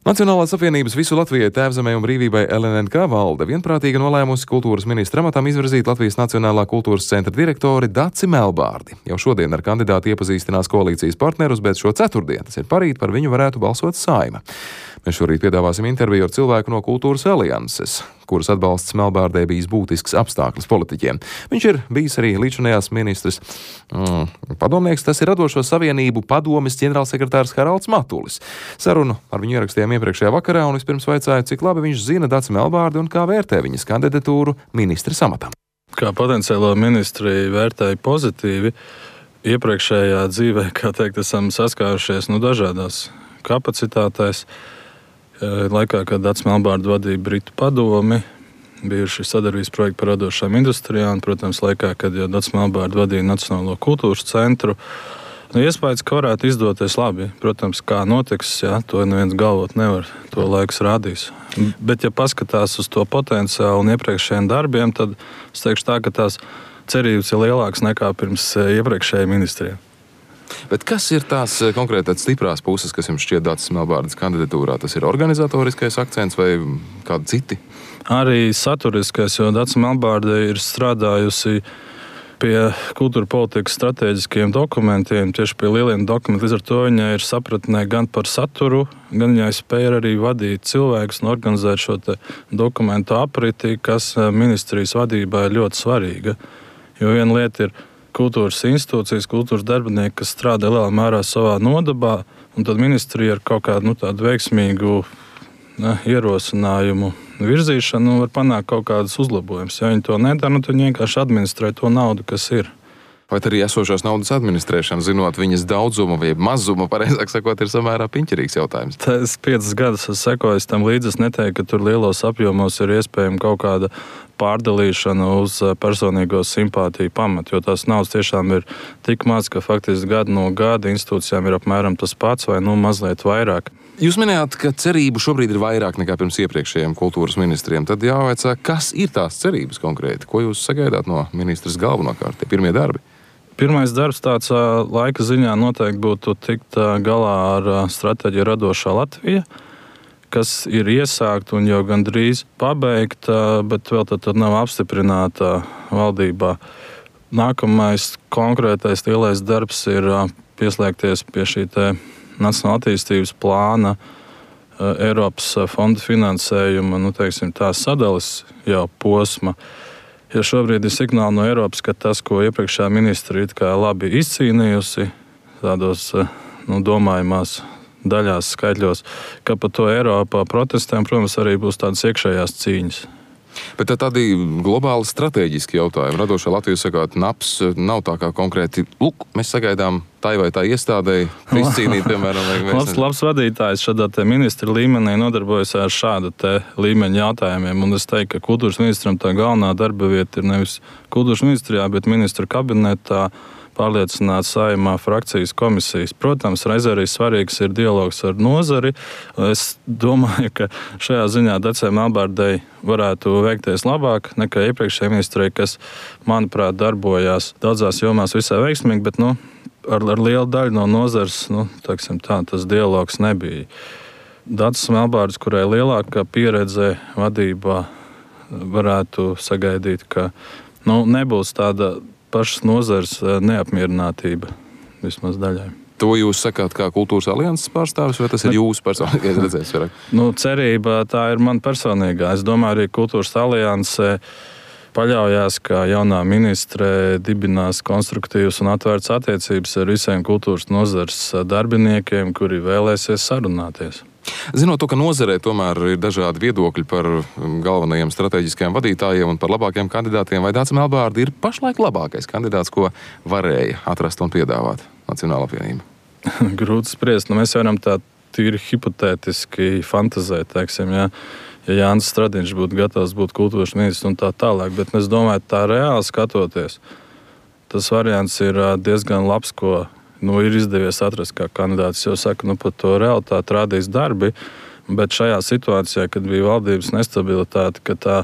Nacionālās apvienības Visu Latvijai, Tēvzemei un brīvībai LNNK valde vienprātīgi nolēmusi kultūras ministra amatam izvirzīt Latvijas Nacionālā kultūras centra direktori Daci Melbārdi. Jau šodien ar kandidātu iepazīstinās koalīcijas partnerus, bet šo ceturtdienu, tas ir parīt, par viņu varētu balsot Saeima. Mēs šorīt piedāvāsim interviju ar cilvēku no Kultūras alianses, kuras atbalsts Melbārdei bijis būtisks apstākļus politiķiem. Viņš ir bijis arī līdzinājās ministrs padomnieks, tas ir Radošo savienību padomes ģenerālsekretārs Haralds Matulis. Sarunu ar viņu ierakstījām iepriekšējā vakarā un vispirms vaicāju, cik labi viņš zina Daci Melbārdi un kā vērtē viņas kandidatūru ministra amatam. Kā potenciālo ministri vērtēju pozitīvi, iepriekšējā dzīvē, kā teikt, esam saskārušies dažādās kapacitātēs. Laikā, kad Daci Melbārdi vadīja Britu padomi, bijuši sadarbības projekti par radošām industrijām, un, protams, laikā, kad Daci Melbārdi vadīja Nacionālo kultūras centru. Iespējas, ka varētu izdoties labi. Protams, kā notiks, to neviens galvot nevar, to laiks rādīs. Bet, ja paskatās uz to potenciālu un iepriekšējiem darbiem, tad es teikšu tā, ka tās cerības ir lielākas nekā pirms iepriekšējiem ministriem. Bet kas ir tās konkrēti stiprās puses, kas jums šķiet Dacis Melbārdes kandidatūrā? Tas ir organizatoriskais akcents vai kādi citi? Arī saturiskais, jo Daci Melbārde ir strādājusi pie kultūra politikas stratēģiskiem dokumentiem, tieši pie lieliem dokumentiem. Līdz ar to viņa ir sapratnē gan par saturu, gan viņai spēja arī vadīt cilvēkus un organizēt šo dokumentu apriti, kas ministrijas vadībā ir ļoti svarīga. Jo viena lieta ir kultūras institūcijas, kultūras darbinieki, kas strādā lielā mērā savā nodabā, un tad ministrija ar kaut kādu tādu veiksmīgu ierosinājumu virzīšanu var panākt kaut kādus uzlabojumus. Ja viņi to nedara, tad viņi vienkārši administrē to naudu, kas ir. Vai arī esošās naudas administrēšana, zinot viņas daudzumu vai mazumu, pareizāk sakot, ir samērā piņķerīgs jautājums? Es 5 gadus esmu sekojis tam līdzi. Es neteiktu, ka tur lielos apjomos ir iespējama kaut kāda pārdalīšana uz personīgo simpātiju pamatu, jo tās naudas tiešām ir tik maz, ka faktiski gadu no gada institūcijām ir apmēram tas pats vai mazliet vairāk. Jūs minējāt, ka cerību šobrīd ir vairāk nekā pirms iepriekšējiem kultūras ministriem. Tad jāvaicā, kas ir tās cerības konkrēti? Ko jūs sagaidāt no ministras galvenokārt, tie pirmie darbi? Pirmais darbs tāds laika ziņā noteikti būtu tikt galā ar stratēģiju Radošā Latvija, kas ir iesākta un jau gandrīz pabeigta, bet vēl tad nav apstiprināta valdībā. Nākamais konkrētais lielais darbs ir pieslēgties pie šī Nacionālā attīstības plāna, Eiropas fonda finansējuma, tās sadalas jau posma. Ja šobrīd ir signāli no Eiropas, ka tas, ko iepriekšējā ministra ir labi izcīnījusi, tādos domājumās daļās, skaitļos, ka par to Eiropā protestēm, protams, arī būs tādas iekšējās cīņas. Bet tādi globāli strateģiski jautājumi. Radošā Latvija sakāt, NAPS nav tā kā konkrēti, mēs sagaidām tai vai tā iestādēji izcīnīt, piemēram, labs vadītājs šādā ministra līmenī nodarbojas ar šāda līmeņa jautājumiem. Un es teiktu, ka kultūras ministram tā galvenā darba vieta ir nevis kultūras ministrijā, bet ministra kabinetā pārliecināt Saeimā frakcijas komisijas. Protams, reizē arī svarīgs ir dialogs ar nozari. Es domāju, ka šajā ziņā Dacei Melbārdei varētu veikties labāk nekā iepriekšējai ministrei, kas, manuprāt, darbojās daudzās jomās visai veiksmīgi, bet ar lielu daļu no nozares tas dialogs nebija. Dacis Melbārdes, kurai lielākā pieredze vadībā, varētu sagaidīt, ka nebūs tāda pašas nozares neapmierinātība vismaz daļai. To jūs sakāt kā kultūras alianses pārstāvis, vai tas ir jūsu personīgais redzējums? Cerība tā ir man personīgā. Es domāju, arī kultūras alianse paļaujās, ka jaunā ministre dibinās konstruktīvas un atvērtas attiecības ar visiem kultūras nozares darbiniekiem, kuri vēlēsies sarunāties. Zinot to, ka nozarē tomēr ir dažādi viedokļi par galvenajiem strateģiskajiem vadītājiem un par labākiem kandidātiem, vai Daci Melbārdi ir pašlaik labākais kandidāts, ko varēja atrast un piedāvāt Nacionālā apvienība? Grūti spriest. Mēs varam tā tīri hipotētiski fantazēt, teiksim, ja Jānis Stradiņš būtu gatavs būt kultūras ministrs un tā tālāk, bet es domāju, tā reāli skatoties, tas variants ir diezgan labs, ko ir izdevies atrast kā kandidāts. Es jau saku, par to realitāti rādīs darbi, bet šajā situācijā, kad bija valdības nestabilitāte, ka tā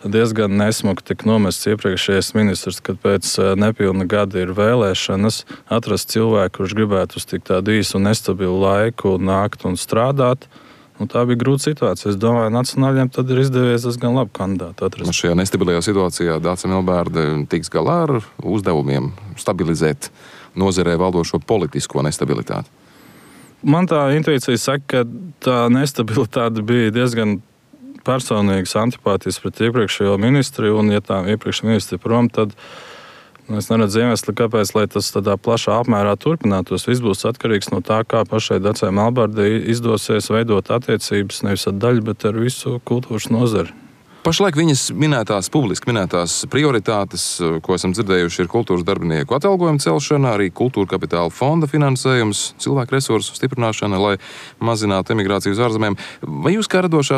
diezgan nesmuki tika nomests iepriekšējais ministrs, kad pēc nepilna gada ir vēlēšanas, atrast cilvēku, kurš gribētu uz tik tādu īsu un nestabilu laiku nākt un strādāt, Tā bija grūta situācija. Es domāju, nacionāļiem tad ir izdevies diezgan labi kandidāti atrast. Šajā nestabilajā situācijā Dāce Melbārde tiks galā ar uzdevumiem stabilizēt nozarē valdošo politisko nestabilitāti. Man tā intuīcija saka, ka tā nestabilitāte bija diezgan personīgas antipātijas pret iepriekšējo ministri, un ja tā iepriekšējā ministri prom, tad es neredzu iemeslu, kāpēc tas tādā plašā apmērā turpinātos. Viss būs atkarīgs no tā, kā pašai Dacei Melbārdei izdosies veidot attiecības nevis ar daļu, bet ar visu kultūras nozari. Pašlaik viņas publiski minētās prioritātes, ko esam dzirdējuši, ir kultūras darbinieku atalgojuma celšana, arī kultūra kapitāla fonda finansējums, cilvēku resursu stiprināšana, lai mazinātu emigrāciju uz ārzemēm. Vai jūs kā Radošo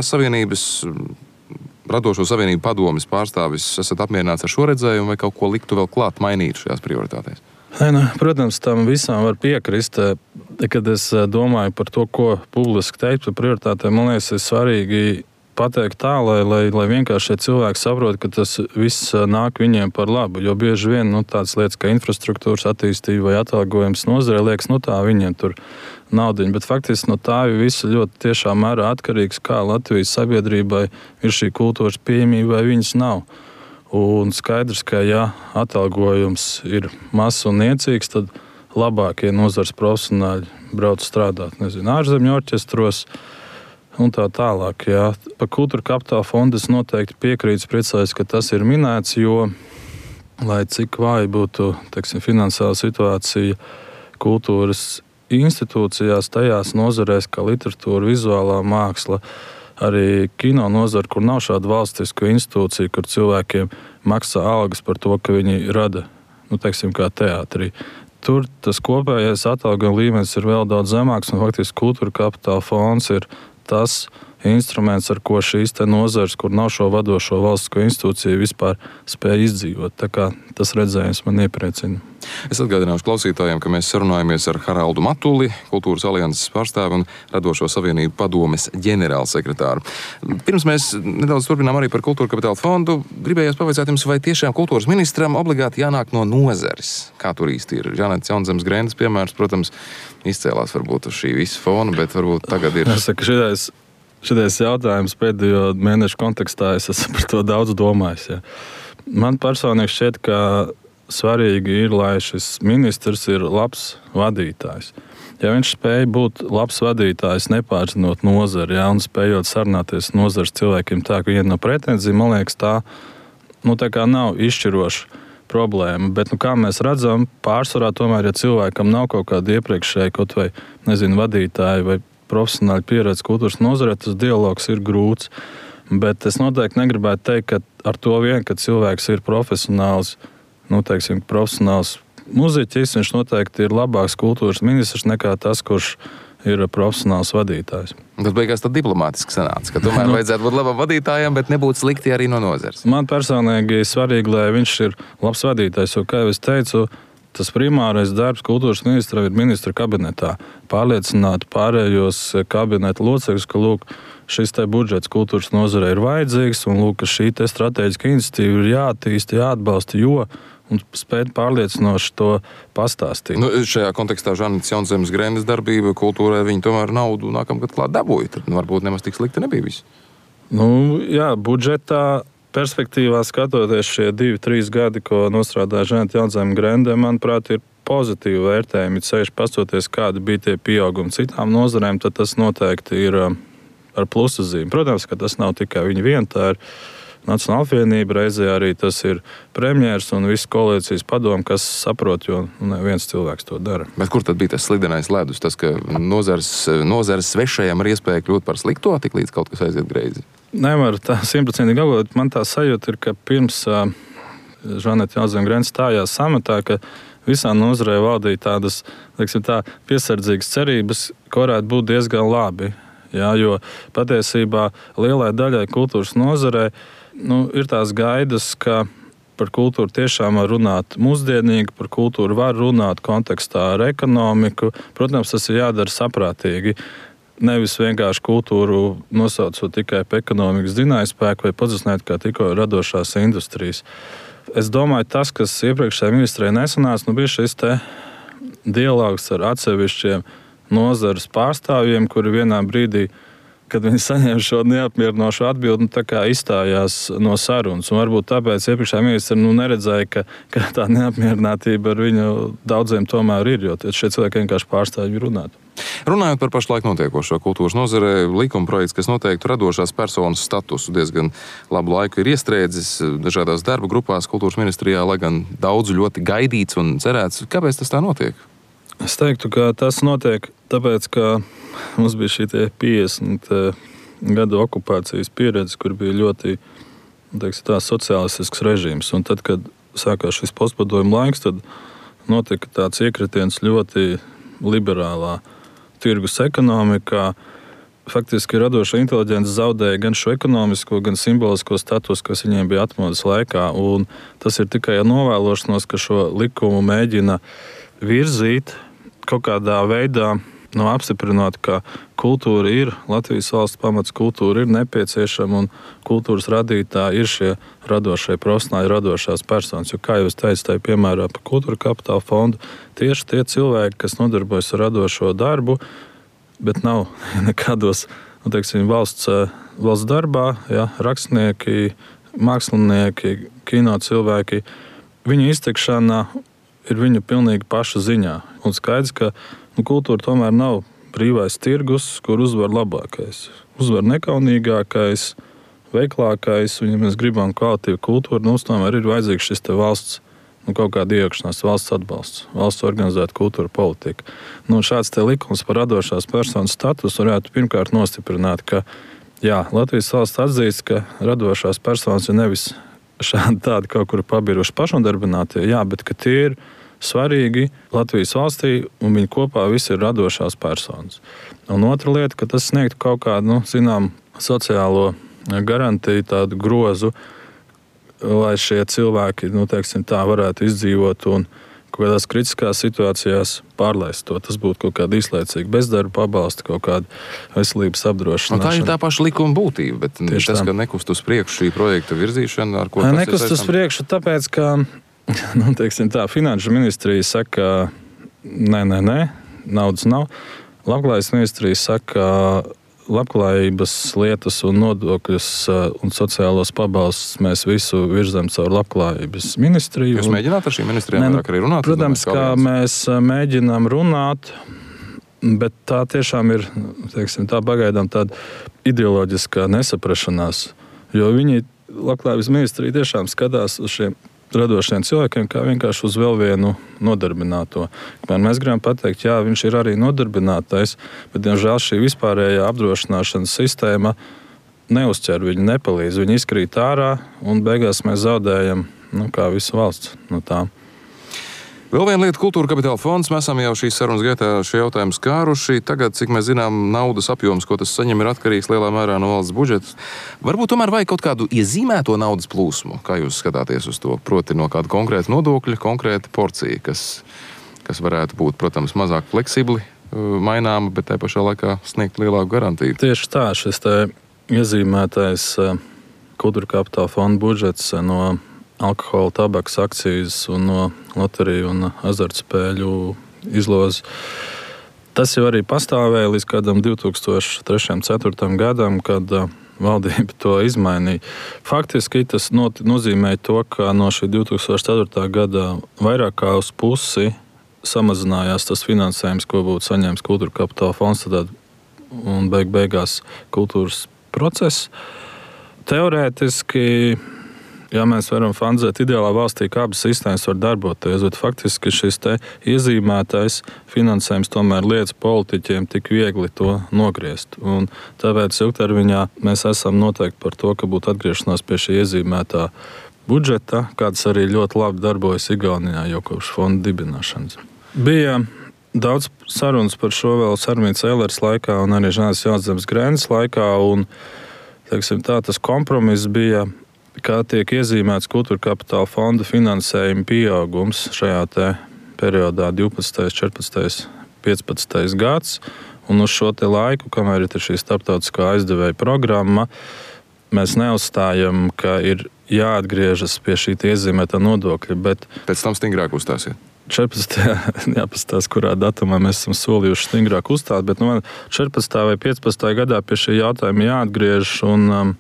savienību padomes pārstāvis esat apmierināts ar šo redzējumu vai kaut ko liktu vēl klāt mainīt šajās prioritātēs? Protams, tam visam var piekrist. Kad es domāju par to, ko publiski teikt par prioritātēm, man liekas, ir svarīgi pateikt tā, lai vienkārši šie cilvēki saprot, ka tas viss nāk viņiem par labu. Jo bieži vien tādas lietas kā infrastruktūras attīstība vai atalgojums nozarē liekas, tā viņiem tur naudiņa. Bet faktiski tā ir visa ļoti tiešā mērā atkarīgs, kā Latvijas sabiedrībai ir šī kultūras pieejamība vai viņas nav. Un skaidrs, ka ja atalgojums ir mazs un niecīgs, tad labākie nozars profesionāļi brauc strādāt, ārzemju orķestros, un tā tālāk. Jā. Par kultūra kapitāla fondu es noteikti piekrītu, priecājos, ka tas ir minēts, jo, lai cik vāja būtu finansiāla situācija kultūras institūcijās, tajās nozarēs, kā literatūra, vizuālā māksla, arī kino nozara, kur nav šāda valstiska institūcija, kur cilvēkiem maksā algas par to, ka viņi rada, kā teātrī. Tur tas kopējais atalgojuma līmenis ir vēl daudz zemāks, un faktiski kultūra kapitāla fonds ir tas instruments, ar ko šīs nozares, kur nav šo vadošo valstisko institūciju, vispār spēja izdzīvot. Tā kā tas redzējums man iepriecina. Es atgādināšu klausītājiem, ka mēs sarunājamies ar Haraldu Matuli, Kultūras alianses pārstāvi un Radošo savienību padomes ģenerālsekretāru. Pirms mēs nedaudz turpinām arī par kultūra kapitāla fondu, gribējos pavaicāt jums, vai tiešām kultūras ministram obligāti jānāk no nozares. Kā tur īsti ir? Žanetes Jaunzemes Grendes piemērs, protams, izcēlās varbūt uz šī visa fona, bet varbūt tagad ir... Šitais jautājums pēdējo mēnešu kontekstā es esmu par to daudz domājis. Ja. Man personīgi šķiet, ka svarīgi ir, lai šis ministrs ir labs vadītājs. Ja viņš spēj būt labs vadītājs, nepārzinot nozari, ja, un spējot sarunāties nozares cilvēkiem tā, ka viņiem nav pretenzija, man liekas, tā kā nav izšķiroša problēma. Bet, kā mēs redzam, pārsvarā tomēr, ja cilvēkam nav kaut kāda iepriekšēja, kaut vai, vadītāja vai profesionāli pieredze kultūras nozarē, tas dialogs ir grūts. Bet es noteikti negribētu teikt, ka ar to vien, ka cilvēks ir profesionāls, profesionāls muziķis, viņš noteikti ir labāks kultūras ministrs nekā tas, kurš ir profesionāls vadītājs. Tas beigās tad diplomātiski sanāca, ka tomēr vajadzētu būt labam vadītājam, bet nebūtu slikti arī no nozares. Man personīgi svarīgi, lai viņš ir labs vadītājs, jo, kā jau es teicu, tas primārais darbs kultūras ministra ir ministra kabinetā. Pārliecināt pārējos kabineta locekļus, ka šis budžets kultūras nozarei ir vajadzīgs un ka šī strateģiska iniciatīva ir jāattīsta, jāatbalsta, un spēt pārliecinoši to pastāstīt. Šajā kontekstā Žanetes Jaunzemes Grendes darbība kultūrai viņi tomēr naudu nākamgad klāt dabūja. Tad varbūt nemaz tik slikti nebija viss. Budžetā perspektīvā skatoties šie 2-3 gadi, ko nostrādāja Žanete Jaunzeme Grende, manuprāt, ir pozitīvi vērtējumi. Sevišķi pastoties, kādi bija tie pieaugumi citām nozarēm, tad tas noteikti ir ar plusu zīmi. Protams, ka tas nav tikai viņa viena, tā ir Nacionāla apvienība, reizē arī tas ir premjers un viss koalīcijas padomu, kas saprot, jo neviens cilvēks to dara. Bet kur tad bija tas slidenais ledus? Tas, ka nozares svešajam ir iespēja kļūt par slikto, tik līdz kaut kas aiziet greizi? Nevar tā 100% apgalvot. Man tā sajūta ir, ka pirms Žanete Jaunzeme Grende stājās samatā, ka visā nozarē valdīja tādas, piesardzīgas cerības, ka varētu būt diezgan labi. Jā, jo patiesībā lielai daļai kultūras nozarē ir tās gaidas, ka par kultūru tiešām var runāt mūsdienīgi, par kultūru var runāt kontekstā ar ekonomiku. Protams, tas ir jādara saprātīgi. Nevis vienkārši kultūru nosaucot tikai par ekonomikas dzinējspēku vai pozicionēt kā tikko radošās industrijas. Es domāju, tas, kas iepriekšējā ministrē nesanāca, bija šis dialogs ar atsevišķiem nozares pārstāvjiem, kuri vienā brīdī kad viņi saņēma šo neapmierinošu atbildi, tā kā izstājās no sarunas. Un varbūt tāpēc iepriekšējā ministra neredzēja, ka tā neapmierinātība ar viņu daudziem tomēr ir, jo šie cilvēki vienkārši pārstāv viņu runāt. Runājot par pašlaik notiekošo kultūras nozarē, likumprojekts, kas noteiktu radošās personas statusu, diezgan labu laiku ir iestrēdzis dažādās darba grupās kultūras ministrijā, lai gan daudz ļoti gaidīts un cerēts. Kāpēc tas tā notiek? Es teiktu, ka tas notiek tāpēc, ka mums bija šī 50 gadu okupācijas pieredze, kur bija ļoti sociālistisks režīms. Un tad, kad sākās šis postpadomju laiks, tad notika tāds iekritiens ļoti liberālā tirgus ekonomikā. Faktiski radoša inteliģence zaudēja gan šo ekonomisko, gan simbolisko statusu, kas viņiem bija atmodas laikā. Un tas ir tikai novēlošanos, ka šo likumu mēģina virzīt kaut kādā veidā, apstiprinot, ka kultūra ir Latvijas valsts pamats, kultūra ir nepieciešama un kultūras radītāji ir šie radošie profesionāļi, radošās personas. Jo, kā jau es teicu, tā ir piemērā par kultūra kapitāla fondu, tieši tie cilvēki, kas nodarbojas ar radošo darbu, bet nav nekādos valsts darbā, rakstnieki, mākslinieki, kino cilvēki, viņu izteikšana ir viņu pilnīgi paša ziņā. Un skaidrs, ka kultūra tomēr nav brīvais tirgus, kur uzvar labākais. Uzvar nekaunīgākais, veiklākais, un ja mēs gribam kvalitīvu kultūru, mums tomēr ir vajadzīgs šis valsts, kaut kāda iejaukšanās, valsts atbalsts, valsts organizēta kultūra politika. Šāds likums par radošās personas statusu varētu pirmkārt nostiprināt, ka Latvijas valsts atzīst, ka radošās personas ir nevis šādi tādi kaut kur pabiruši pašnodarbinātie, bet ka tie ir svarīgi Latvijas valstī, un viņi kopā visi ir radošās personas. Un otra lieta, ka tas sniegtu kaut kādu, sociālo garantiju, tādu grozu, lai šie cilvēki, varētu izdzīvot un kaut kādās kritiskās situācijās pārlaist to. Tas būtu kaut kāda īslaicīga bezdarba pabalsta, kaut kāda veselības apdrošināšana. Tā ir tā paša likuma būtība, bet tieši tas, ka nekust uz priekšu šī projekta virzīšana, ar ko tas ir saistāms? Nekust uz priekšu, tāpēc, ka Finanšu ministrija saka, nē, naudas nav. Labklājības ministrija saka, labklājības lietas un nodokļus un sociālos pabalstus mēs visu virzam caur labklājības ministriju. Jūs mēģināt ar šīm ministrijām vairāk arī runāt? Protams, kā mēs mēģinām runāt, bet tā tiešām ir, pagaidām tāda ideoloģiskā nesaprašanās, jo viņi, labklājības ministrija, tiešām skatās uz šiem radošiem cilvēkiem kā vienkārši uz vēl vienu nodarbināto. Mēs gribam pateikt, viņš ir arī nodarbinātais, bet, diemžēl, šī vispārējā apdrošināšanas sistēma neuzķer viņu, nepalīdz. Viņi izkrīt ārā un beigās mēs zaudējam, kā visa valsts no tā. Vēl viena lieta - kultūra kapitāla fonds. Mēs esam jau šīs sarunas gaitā šie jautājumi skāruši. Tagad, cik mēs zinām, naudas apjoms, ko tas saņem, ir atkarīgs lielā mērā no valsts budžeta. Varbūt tomēr vajag kaut kādu iezīmēto naudas plūsmu. Kā jūs skatāties uz to? Proti no kāda konkrēta nodokļa, konkrēta porcija, kas varētu būt, protams, mazāk fleksibli maināma, bet tā pašā laikā sniegt lielāku garantiju. Tieši tā, šis iezīmētais kultūra kapitāla fonda budžets no alkohola, tabakas akcijas un no loteriju un azartspēļu izlozes. Tas jau arī pastāvēja līdz kādam 2003.-2004. gadam, kad valdība to izmainīja. Faktiski tas nozīmē to, ka no šī 2004. gada vairāk kā uz pusi samazinājās tas finansējums, ko būtu saņēmis kultūra kapitāla fonds, un beigās kultūras process. Teorētiski, mēs varam fantāzēt ideālā valstī, kā abas sistēmas var darboties, bet faktiski šis iezīmētais finansējums tomēr liedz politiķiem tik viegli to nogriezt. Un tāpēc ilgtermiņā mēs esam noteikti par to, ka būtu atgriešanās pie šī iezīmētā budžeta, kāds arī ļoti labi darbojas Igaunijā jau kopš fonda dibināšanas. Bija daudz sarunas par šo vēl Sarmītas Eilers laikā un arī Žānis Jāzemes Grēnas laikā, un tas kompromiss bija, kā tiek iezīmēts kultūra kapitāla fonda finansējuma pieaugums šajā periodā 12., 14., 15. gads. Un uz šo laiku, kamēr ir šī starptautiskā aizdevēja programma, mēs neuzstājam, ka ir jāatgriežas pie šī iezīmētā nodokļa. Bet pēc tam stingrāk uzstāsiet. 14. jāpastāsta, kurā datumā mēs esam solījuši stingrāk uzstāt, bet 14. vai 15. gadā pie šī jautājuma jāatgriežas, un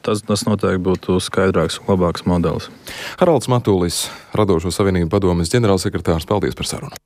tas noteikti būtu skaidrāks un labāks modelis. Haralds Matulis, Radošo savienību padomes ģenerālsekretārs, paldies par sarunu.